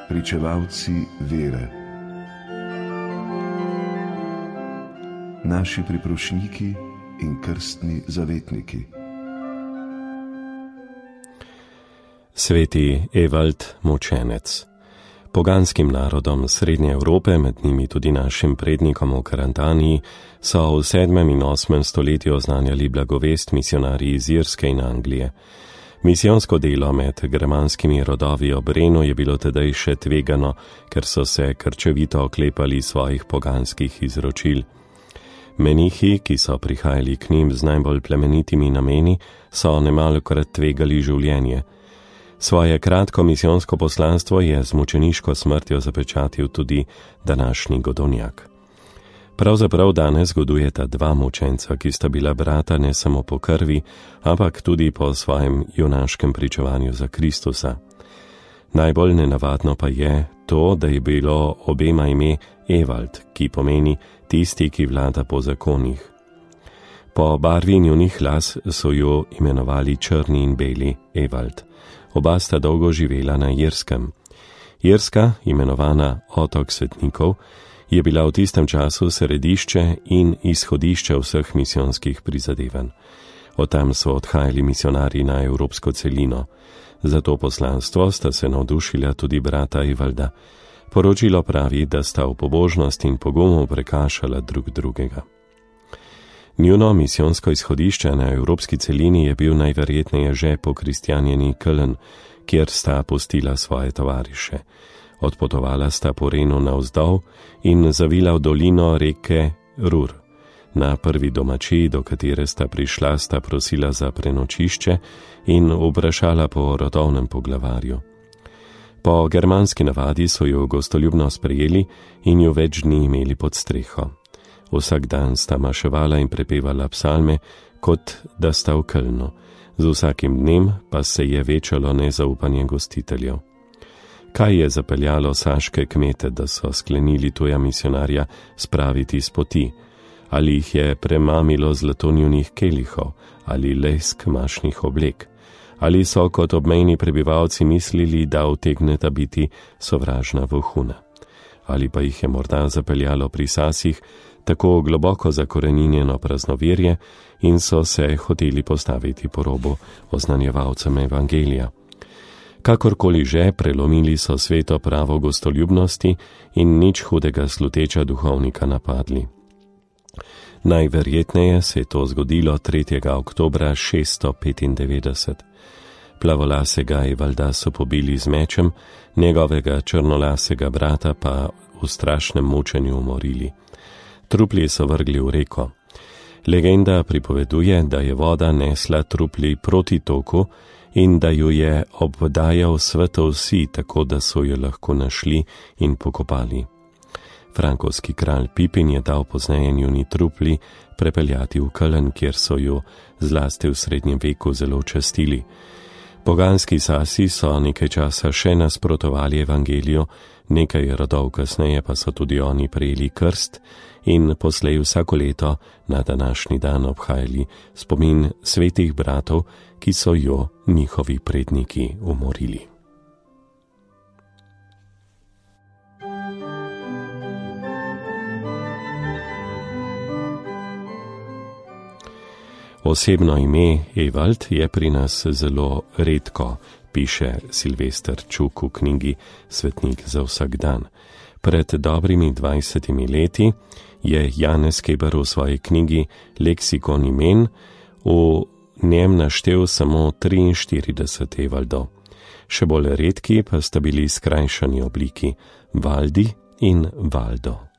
pričevalci vere, naši priprošniki in krstni zavetniki. Sveti Evald Mučenec. Poganskim narodom Srednje Evrope, med njimi tudi našim prednikom v Karantaniji, so v 7. in 8. stoletju oznanjali blagovest misionarji iz Irske in Anglije. Misijonsko delo med germanskimi rodovi ob Renu je bilo tedaj še tvegano, ker so se krčevito oklepali svojih poganskih izročil. Menihi, ki so prihajali k njim z najbolj plemenitimi nameni, so nemalokrat tvegali življenje. Svoje kratko misijonsko poslanstvo je z mučeniško smrtjo zapečatil tudi današnji Godovnjak. Pravzaprav danes godujeta dva mučenca, ki sta bila brata ne samo po krvi, ampak tudi po svojem junaškem pričevanju za Kristusa. Najbolj nenavadno pa je to, da je bilo obema ime Evald, ki pomeni tisti, ki vlada po zakonih. Po barvi njunih las so jo imenovali črni in beli Evald. Oba sta dolgo živela na Irskem. Irska, imenovana otok svetnikov, je bila v tistem času središče in izhodišče vseh misijonskih prizadevanj. Od tam so odhajali misionarji na evropsko celino. Za to poslanstvo sta se navdušila tudi brata Evalda. Poročilo pravi, da sta v pobožnost in pogumu prekašala drug drugega. Njuno misijonsko izhodišče na evropski celini je bil najverjetneje že pokristjanjeni Köln, kjer sta pustila svoje tovariše. Odpotovala sta po Renu navzdol in zavila v dolino reke Rur. Na prvi domačiji, do katere sta prišla, sta prosila za prenočišče in vprašala po rodovnem poglavarju. Po germanski navadi so jo gostoljubno sprejeli in jo več dni imeli pod streho. Vsak dan sta maševala in prepevala psalme, kot da sta v Kölnu. Z vsakim dnem pa se je večalo nezaupanje gostiteljev. Kaj je zapeljalo saške kmete, da so sklenili tuja misionarja spraviti s poti? Ali jih je premamilo zlato njunih kelihov, ali lesk mašnih oblek? Ali so kot obmejni prebivalci mislili, da utegneta biti sovražna vohuna? Ali pa jih je morda zapeljalo pri sasih tako globoko zakoreninjeno praznoverje in so se hoteli postaviti po robu oznanjevalcem evangelija. Kakorkoli že, prelomili so sveto pravo gostoljubnosti in nič hudega sluteča duhovnika napadli. Najverjetneje se je to zgodilo 3. oktobra 695. Plavolasega Evalda so pobili z mečem, njegovega črnolasega brata pa v strašnem mučenju umorili. Trupli so vrgli v reko. Legenda pripoveduje, da je voda nesla trupli proti toku in da ju je obdajal svetov si, tako da so jo lahko našli in pokopali. Frankovski kralj Pipin je dal pozneje njuni trupli prepeljati v Köln, kjer so jo zlasti v srednjem veku zelo častili. Poganski sasi so nekaj časa še nasprotovali evangeliju, nekaj rodov kasneje pa so tudi oni prejeli krst in poslej vsako leto na današnji dan obhajali spomin svetih bratov, ki so jo njihovi predniki umorili. Osebno ime Evald je pri nas zelo redko, piše Silvester Čuk v knjigi Svetnik za vsak dan. Pred dobrimi 20 leti je Janez Keber v svoji knjigi Leksikon imen v njem naštel samo 43 Evaldov. Še bolj redki pa sta bili skrajšani obliki Valdi in Valdo.